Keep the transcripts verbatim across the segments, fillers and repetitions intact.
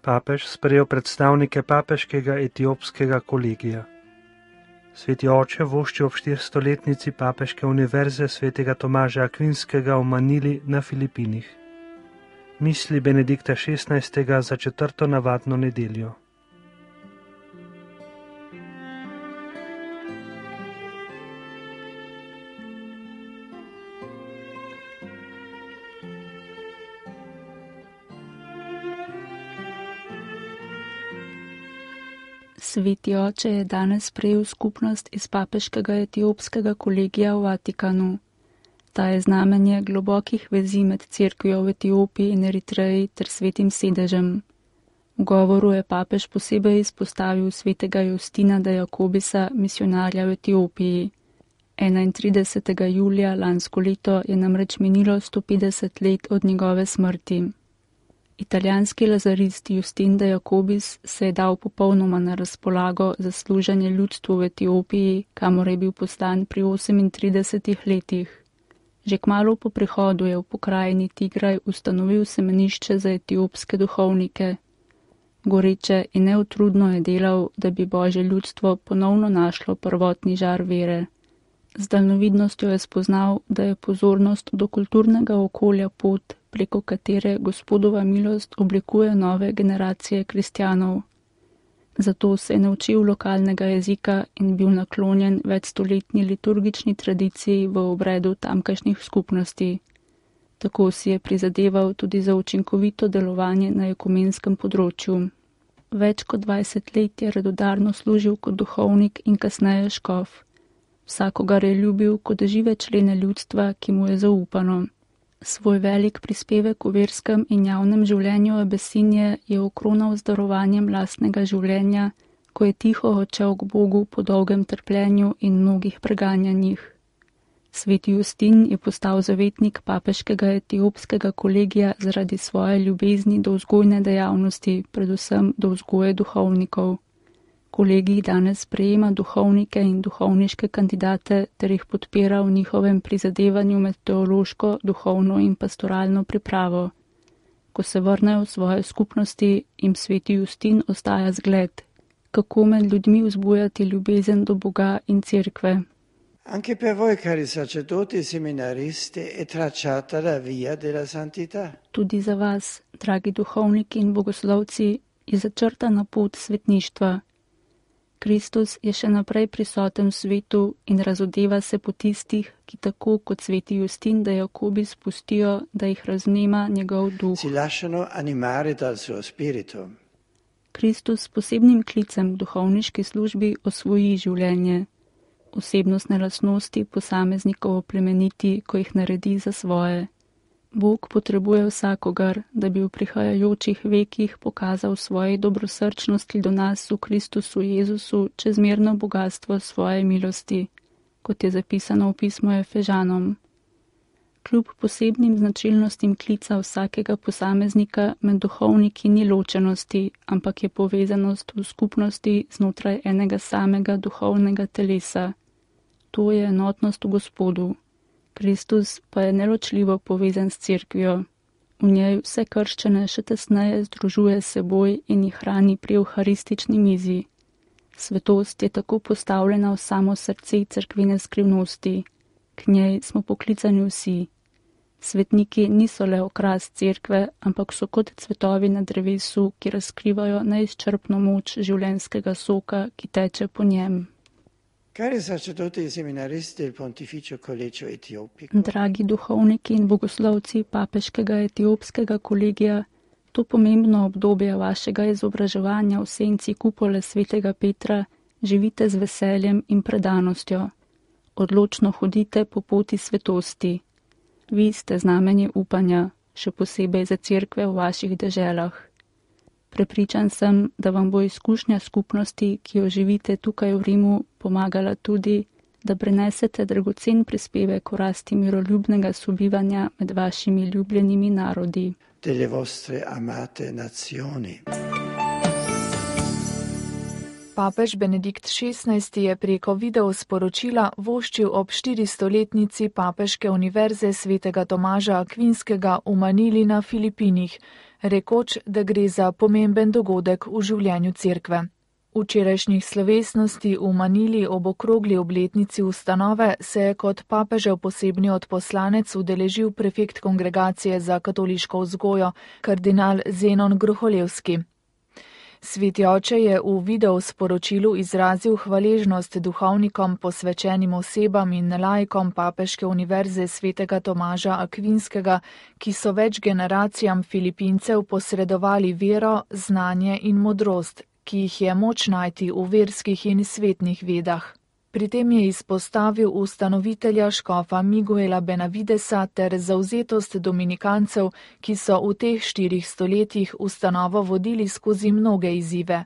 Papež sprejel predstavnike papeškega etiopskega kolegija. Sveti oče vošči ob štiristoletnici papeške univerze svetega Tomaža Akvinskega v Manili na Filipinih. Misli Benedikta šestnajstega za četrto navadno nedeljo. Sveti oče je danes sprejel skupnost iz papeškega etiopskega kolegija v Vatikanu. Ta je znamenje globokih vezi med cerkvijo v Etiopiji in Eritreji ter svetim sedežem. V govoru je papež posebej izpostavil svetega Justina de Jakobisa, misionarja v Etiopiji. enaintridesetega julija lansko leto je namreč minilo sto petdeset let od njegove smrti. Italijanski lazarist Justin de Jakobis se je dal popolnoma na razpolago za služenje ljudstvu v Etiopiji, kamor je bil poslan pri osemintridesetih letih. Že kmalu po prihodu je v pokrajini Tigraj ustanovil semenišče za etiopske duhovnike. Goreče in neutrudno je delal, da bi Božje ljudstvo ponovno našlo prvotni žar vere. Z daljnovidnostjo je spoznal, da je pozornost do kulturnega okolja pot, preko katere Gospodova milost oblikuje nove generacije kristjanov. Zato se je naučil lokalnega jezika in bil naklonjen večstoletni liturgični tradiciji v obredu tamkajšnjih skupnosti. Tako si je prizadeval tudi za učinkovito delovanje na ekumenskem področju. Več kot dvajset let je radodarno služil kot duhovnik in kasneje škof. Vsakogar je ljubil kot žive člene ljudstva, ki mu je zaupano. Svoj velik prispevek v verskem in javnem življenju Abesinije je okronal z darovanjem lastnega življenja, ko je tiho odšel k Bogu po dolgem trpljenju in mnogih preganjanjih. Sveti Justin je postal zavetnik papeškega etiopskega kolegija zaradi svoje ljubezni do vzgojne dejavnosti, predvsem do vzgoje duhovnikov. Kolegij danes sprejema duhovnike in duhovniške kandidate ter jih podpira v njihovem prizadevanju med teološko, duhovno in pastoralno pripravo. Ko se vrnejo v svoje skupnosti, jim sveti Justin ostaja zgled, kako med ljudmi vzbujati ljubezen do Boga in cerkve. Anche per voi, cari sacerdoti e seminaristi, è tracciata la via della santità. Tudi za vas, dragi duhovniki in bogoslovci, je začrtana pot svetništva. Kristus je še naprej prisoten v svetu in razodeva se po tistih, ki tako kot sveti Justin de Jakobis pustijo, da jih raznema njegov duh. Si lasciano animare dal suo spirito. Kristus s posebnim klicem v duhovniški službi osvoji življenje. Osebnostne lastnosti posameznikov oplemeniti, ko jih naredi za svoje. Bog potrebuje vsakogar, da bi v prihajajočih vekih pokazal svoje dobrosrčnosti do nas v Kristusu Jezusu čezmerno bogatstvo svoje milosti, kot je zapisano v pismu Efežanom. Kljub posebnim značilnostim klica vsakega posameznika med duhovniki ni ločenosti, ampak je povezanost v skupnosti znotraj enega samega duhovnega telesa. To je enotnost v Gospodu. Kristus pa je neločljivo povezan s cerkvijo. V njej vse krščane še tesneje združuje s seboj in jih hrani pri evharistični mizi. Svetost je tako postavljena v samo srce cerkvene skrivnosti. K njej smo poklicani vsi. Svetniki niso le okras cerkve, ampak so kot cvetovi na drevesu, ki razkrivajo neizčrpno moč življenjskega soka, ki teče po njem. Cari sacerdoti e seminaristi del Pontificio Collegio Etiopico. Dragi duhovniki in bogoslovci papeškega etiopskega kolegija, to pomembno obdobje vašega izobraževanja v senci kupole svetega Petra živite z veseljem in predanostjo. Odločno hodite po poti svetosti. Vi ste znamenje upanja, še posebej za cerkve v vaših deželah. Prepričan sem, da vam bo izkušnja skupnosti, ki jo živite tukaj v Rimu, pomagala tudi, da prenesete dragocen prispevek v rasti miroljubnega sobivanja med vašimi ljubljenimi narodi. Delle vostre amate nazioni. Papež Benedikt šestnajsti je preko videosporočila voščil ob štiristoletnici Papeške univerze svetega Tomaža Akvinskega v Manili na Filipinih, rekoč, da gre za pomemben dogodek v življenju cerkve. Včerajšnjih slovesnosti v Manili ob okrogli obletnici ustanove se je kot papežev posebni odposlanec udeležil prefekt Kongregacije za katoliško vzgojo, kardinal Zenon Gruholevski. Sveti oče je v videosporočilu izrazil hvaležnost duhovnikom, posvečenim osebam in laikom Papeške univerze svetega Tomaža Akvinskega, ki so več generacijam Filipincev posredovali vero, znanje in modrost, ki jih je moč najti v verskih in svetnih vedah. Pri tem je izpostavil ustanovitelja škofa Miguela Benavidesa ter zavzetost dominikancev, ki so v teh štirih stoletjih ustanovo vodili skozi mnoge izzive.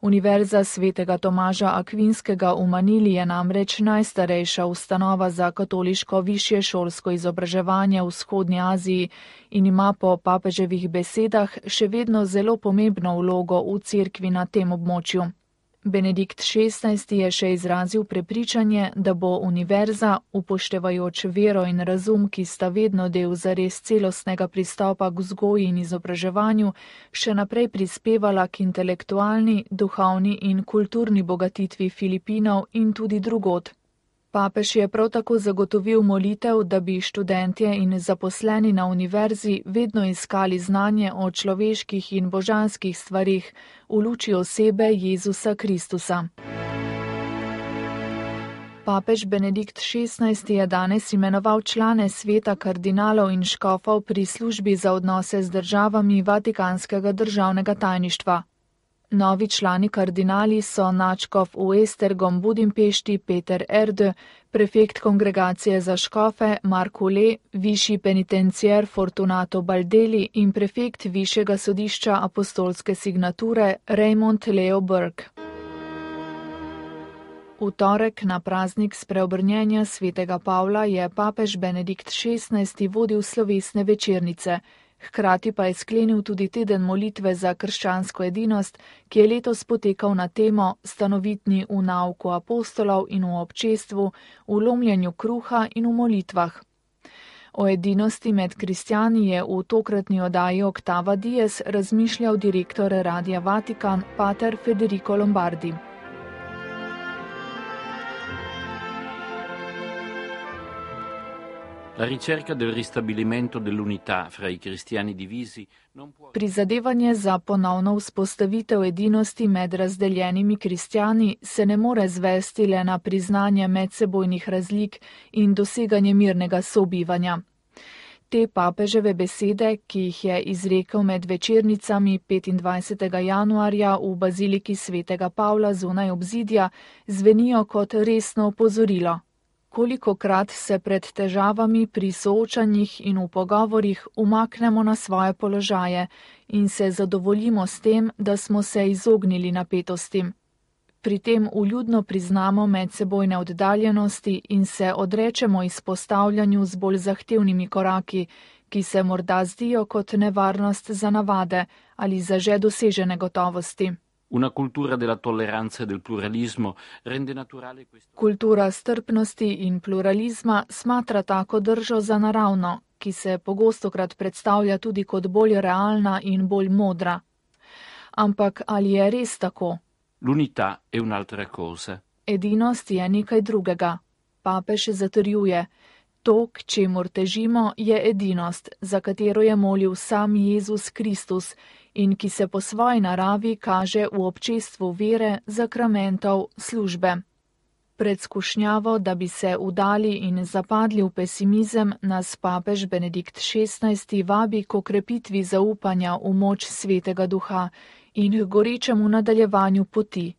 Univerza svetega Tomaža Akvinskega v Manili je namreč najstarejša ustanova za katoliško višje šolsko izobraževanje v vzhodnji Aziji in ima po papeževih besedah še vedno zelo pomembno vlogo v cerkvi na tem območju. Benedikt šestnajsti je še izrazil prepričanje, da bo univerza, upoštevajoč vero in razum, ki sta vedno del zares celostnega pristopa k vzgoji in izobraževanju, še naprej prispevala k intelektualni, duhovni in kulturni bogatitvi Filipinov in tudi drugod. Papež je prav tako zagotovil molitev, da bi študentje in zaposleni na univerzi vedno iskali znanje o človeških in božanskih stvarih v luči osebe Jezusa Kristusa. Papež Benedikt šestnajsti je danes imenoval člane sveta kardinalov in škofov pri službi za odnose z državami Vatikanskega državnega tajništva. Novi člani kardinali so nadškof v Esztergom Budimpešti Peter Erdő, prefekt Kongregacije za škofe Marko Le, višji penitencier Fortunato Baldeli in prefekt Višjega sodišča apostolske signature Raymond Leo Burke. V torek na praznik spreobrnjenja svetega Pavla je papež Benedikt šestnajsti vodil slovesne večernice. Hkrati pa je sklenil tudi teden molitve za krščansko edinost, ki je letos potekal na temo stanovitni v nauku apostolov in v občestvu, v lomljenju kruha in v molitvah. O edinosti med kristjani je v tokratni oddaji Octava Dies razmišljal direktor Radia Vatikan, pater Federico Lombardi. La ricerca del ristabilimento dell'unità fra i cristiani divisi non può... Prizadevanje za ponovno vzpostavitev edinosti med razdeljenimi kristjani se ne more zvesti le na priznanje medsebojnih razlik in doseganje mirnega sobivanja. Te papeževe besede, ki jih je izrekel med večernicami petindvajsetega januarja v baziliki svetega Pavla zunaj obzidja, zvenijo kot resno opozorilo. Kolikokrat se pred težavami pri soočanjih in v pogovorih umaknemo na svoje položaje in se zadovoljimo s tem, da smo se izognili napetostim. Pri tem vljudno priznamo medsebojne oddaljenosti in se odrečemo izpostavljanju z bolj zahtevnimi koraki, ki se morda zdijo kot nevarnost za navade ali za že dosežene gotovosti. Una cultura della tolleranza e del pluralismo rende naturale questo. Kultura strpnosti in pluralizma smatra tako držo za naravno, ki se pogostokrat predstavlja tudi kot bolj realna in bolj modra. Ampak ali je res tako? L'unità è un'altra cosa. Edinost je nekaj drugega. Papež zatrjuje, to, k čemur težimo, je edinost, za katero je molil sam Jezus Kristus in ki se po svoji naravi kaže v občestvu vere, zakramentov, službe. Pred skušnjavo, da bi se udali in zapadli v pesimizem, nas papež Benedikt šestnajsti vabi k okrepitvi zaupanja v moč svetega duha in k gorečemu nadaljevanju poti.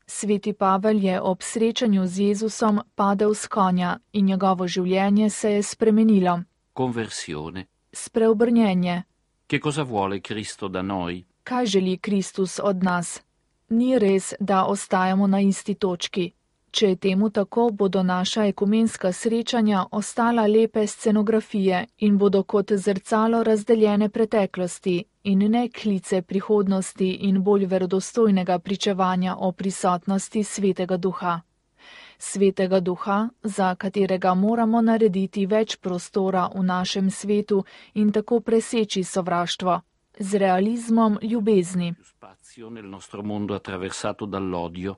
Sveti Pavel je ob srečanju z Jezusom padel s konja in njegovo življenje se je spremenilo. Conversione. Spreobrnjenje. Che cosa vuole Cristo da noi? Kaj želi Kristus od nas? Ni res, da ostajamo na isti točki. Če je temu tako, bodo naša ekumenska srečanja ostala lepe scenografije in bodo kot zrcalo razdeljene preteklosti in ne klice prihodnosti in bolj verodostojnega pričevanja o prisotnosti Svetega Duha. Svetega Duha, za katerega moramo narediti več prostora v našem svetu in tako preseči sovraštvo, z realizmom ljubezni. Spazio nel nostro mondo attraversato dall'odio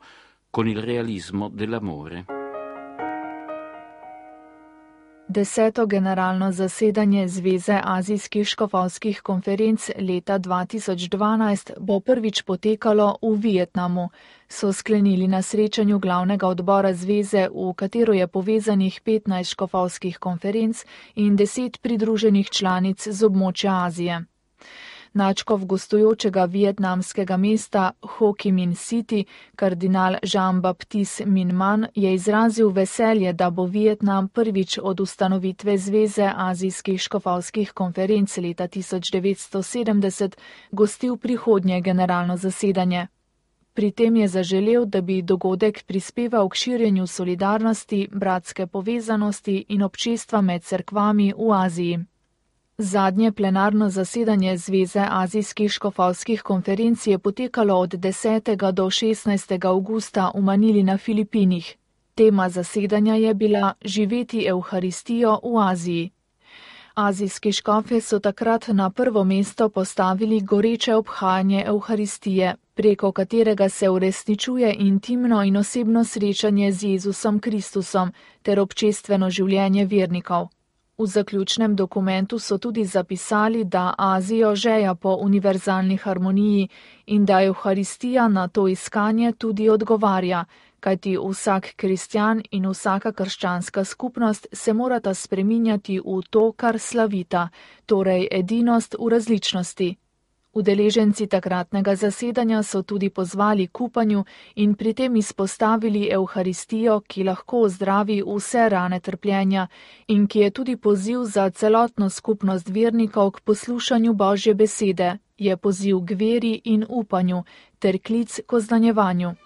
con il realismo dell'amore. Deseto generalno zasedanje Zveze azijskih škofovskih konferenc leta dva tisoč dvanajst bo prvič potekalo v Vietnamu, so sklenili na srečanju glavnega odbora zveze, v katero je povezanih petnajst škofovskih konferenc in deset pridruženih članic z območja Azije. Nadškof gostujočega vietnamskega mesta Ho Chi Minh City, kardinal Jean-Baptiste Minh Man, je izrazil veselje, da bo Vietnam prvič od ustanovitve Zveze azijskih škofovskih konferenc leta tisoč devetsto sedemdeset gostil prihodnje generalno zasedanje. Pri tem je zaželel, da bi dogodek prispeval k širjenju solidarnosti, bratske povezanosti in občestva med cerkvami v Aziji. Zadnje plenarno zasedanje Zveze azijskih škofovskih konferenc je potekalo od desetega do šestnajstega avgusta v Manili na Filipinih. Tema zasedanja je bila Živeti Evharistijo v Aziji. Azijski škofe so takrat na prvo mesto postavili goreče obhajanje Evharistije, preko katerega se uresničuje intimno in osebno srečanje z Jezusom Kristusom ter občestveno življenje vernikov. V zaključnem dokumentu so tudi zapisali, da Azijo žeja po univerzalni harmoniji in da Evharistija na to iskanje tudi odgovarja, kajti vsak kristjan in vsaka krščanska skupnost se morata spreminjati v to, kar slavita, torej edinost v različnosti. Udeleženci takratnega zasedanja so tudi pozvali k upanju in pri tem izpostavili Evharistijo, ki lahko ozdravi vse rane trpljenja in ki je tudi poziv za celotno skupnost vernikov k poslušanju Božje besede, je poziv k veri in upanju ter klic k oznanjevanju.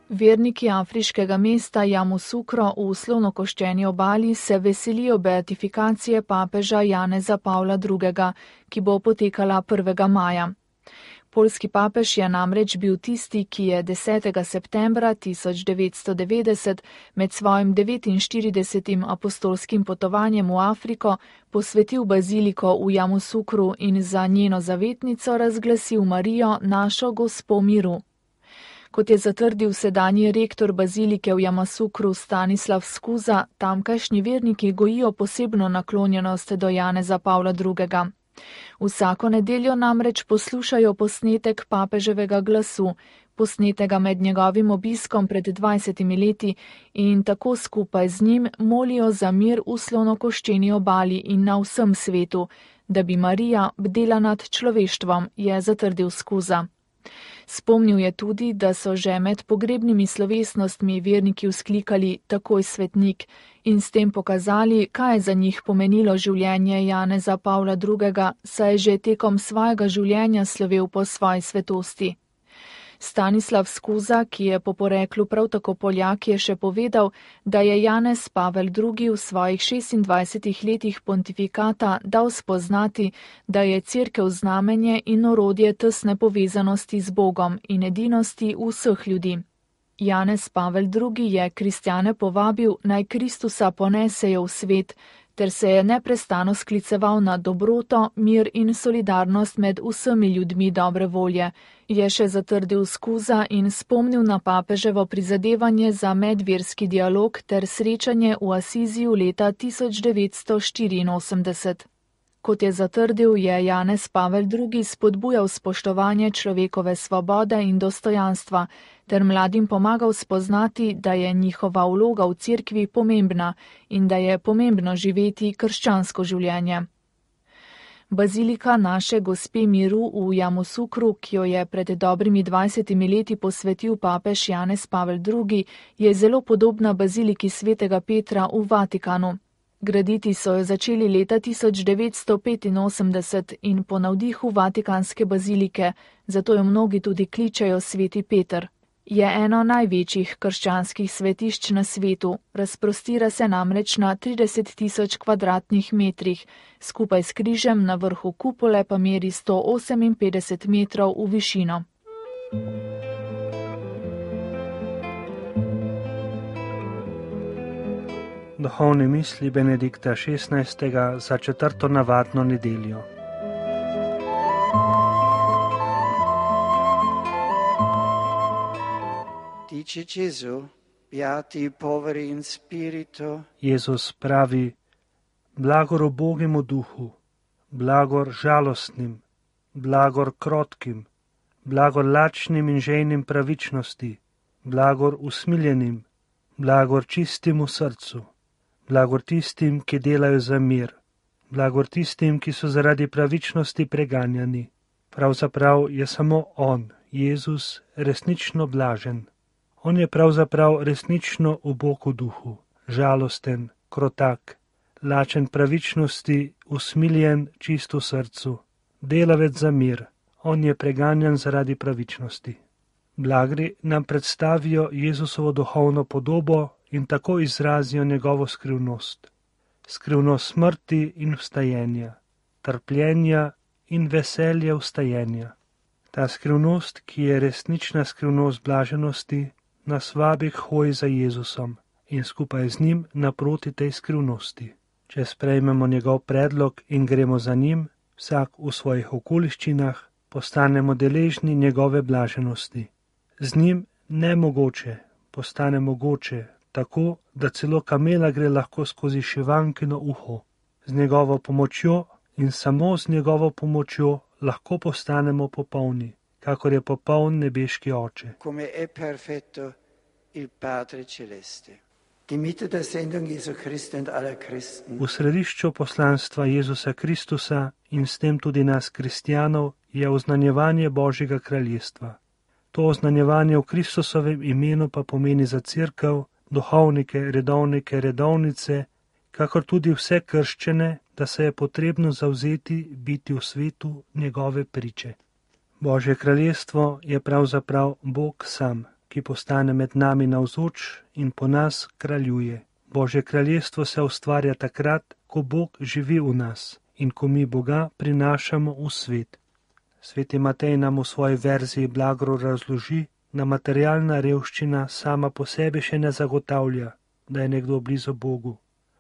Verniki afriškega mesta Yamoussoukro v slonokoščeni obali se veselijo beatifikacije papeža Janeza Pavla drugega, ki bo potekala prvega maja. Poljski papež je namreč bil tisti, ki je desetega septembra tisoč devetsto devetdeset med svojim devetinštiridesetim apostolskim potovanjem v Afriko posvetil baziliko v Yamoussoukru in za njeno zavetnico razglasil Marijo, našo gospo miru. Kot je zatrdil sedanji rektor bazilike v Yamoussoukru Stanislav Skuza, tamkajšnji verniki gojijo posebno naklonjenost do Janeza Pavla drugega. Vsako nedeljo namreč poslušajo posnetek papeževega glasu, posnetega med njegovim obiskom pred dvajsetimi leti, in tako skupaj z njim molijo za mir v slonokoščeni obali in na vsem svetu, da bi Marija bdela nad človeštvom, je zatrdil Skuza. Spomnil je tudi, da so že med pogrebnimi slovesnostmi verniki vzklikali takoj svetnik in s tem pokazali, kaj je za njih pomenilo življenje Janeza Pavla drugega, saj je že tekom svojega življenja slovel po svoji svetosti. Stanislav Skuza, ki je po poreklu prav tako Poljak, je še povedal, da je Janez Pavel drugi v svojih šestindvajsetih letih pontifikata dal spoznati, da je cerkev znamenje in orodje tesne povezanosti z Bogom in edinosti vseh ljudi. Janez Pavel drugi je kristjane povabil, naj Kristusa ponesejo v svet, ter se je neprestano skliceval na dobroto, mir in solidarnost med vsemi ljudmi dobre volje, je še zatrdil Skuza in spomnil na papeževo prizadevanje za medverski dialog ter srečanje v Asiziju leta tisoč devetsto štiriinosemdeset. Kot je zatrdil, je Janez Pavel drugi spodbujal spoštovanje človekove svobode in dostojanstva, ter mladim pomagal spoznati, da je njihova vloga v cerkvi pomembna in da je pomembno živeti krščansko življenje. Bazilika naše gospe miru v Yamoussoukru, ki jo je pred dobrimi dvajsetimi leti posvetil papež Janez Pavel drugi, je zelo podobna baziliki svetega Petra v Vatikanu. Graditi so jo začeli leta tisoč devetsto petinosemdeset in po navdihu vatikanske bazilike, zato jo mnogi tudi kličejo sveti Peter. Je eno največjih krščanskih svetišč na svetu, razprostira se namreč na trideset tisoč kvadratnih metrih, skupaj s križem na vrhu kupole pa meri sto oseminpetdeset metrov v višino. Duhovne misli Benedikta šestnajstega za četrto navadno nedeljo. Dice Gesù, beati i poveri in spirito. Jezus pravi, blagor ubogemu duhu, blagor žalostnim, blagor krotkim, blagor lačnim in žejnim pravičnosti, blagor usmiljenim, blagor čistim v srcu, blagor tistim, ki delajo za mir, blagor tistim, ki so zaradi pravičnosti preganjani. Pravzaprav je samo on, Jezus, resnično blažen. On je pravzaprav resnično ubog v duhu, žalosten, krotak, lačen pravičnosti, usmiljen, čist v srcu, delavec za mir. On je preganjan zaradi pravičnosti. Blagri nam predstavijo Jezusovo duhovno podobo in tako izrazijo njegovo skrivnost. Skrivnost smrti in vstajenja, trpljenja in veselja vstajenja. Ta skrivnost, ki je resnična skrivnost blaženosti, nas vabi k hoji za Jezusom in skupaj z njim naproti tej skrivnosti. Če sprejmemo njegov predlog in gremo za njim, vsak v svojih okoliščinah, postanemo deležni njegove blaženosti. Z njim nemogoče postane mogoče, tako da celo kamela gre lahko skozi šivankino uho. Z njegovo pomočjo in samo z njegovo pomočjo lahko postanemo popolni, kakor je popoln nebeški Oče. Come è perfetto il Padre Celeste. Die Mitte der Sendung Jesu Christi und aller Christen. V središču poslanstva Jezusa Kristusa in s tem tudi nas kristijanov je oznanjevanje Božjega kraljestva. To oznanjevanje v Kristusovem imenu pa pomeni za cerkev, duhovnike, redovnike, redovnice, kakor tudi vse krščene, da se je potrebno zavzeti biti v svetu njegove priče. Božje kraljestvo je pravzaprav Bog sam, ki postane med nami navzoč in po nas kraljuje. Božje kraljestvo se ustvarja takrat, ko Bog živi v nas in ko mi Boga prinašamo v svet. Sveti Matej nam v svoji verziji blagor razloži, da materialna revščina sama po sebi še ne zagotavlja, da je nekdo blizu Bogu,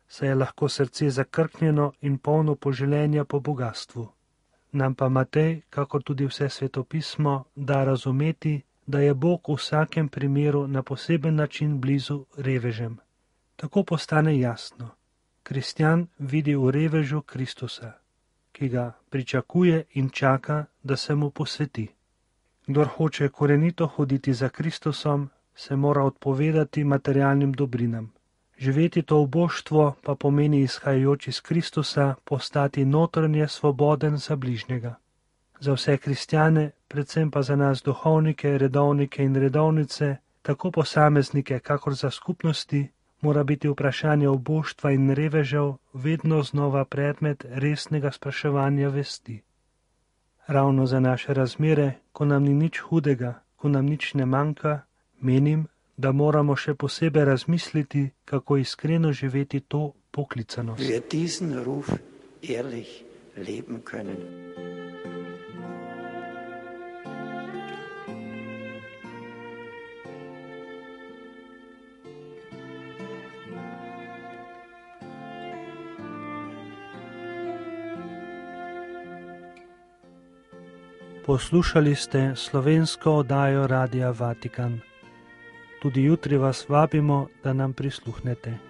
saj je lahko srce zakrknjeno in polno poželenja po bogatstvu. Nam pa Matej, kakor tudi vse svetopismo, da razumeti, da je Bog v vsakem primeru na poseben način blizu revežem. Tako postane jasno. Kristjan vidi v revežu Kristusa, ki ga pričakuje in čaka, da se mu posveti. Kdor hoče korenito hoditi za Kristusom, se mora odpovedati materialnim dobrinam. Živeti to uboštvo pa pomeni izhajajoč iz Kristusa postati notranje svoboden za bližnjega. Za vse kristjane, predvsem pa za nas duhovnike, redovnike in redovnice, tako posameznike, kakor za skupnosti, mora biti vprašanje uboštva in revežev vedno znova predmet resnega spraševanja vesti. Ravno za naše razmere, ko nam ni nič hudega, ko nam nič ne manjka, menim, da moramo še posebej razmisliti, kako iskreno živeti to poklicanost. Wir diesen Ruf ehrlich leben können. Poslušali ste slovensko oddajo Radia Vatikan. Tudi jutri vas vabimo, da nam prisluhnete.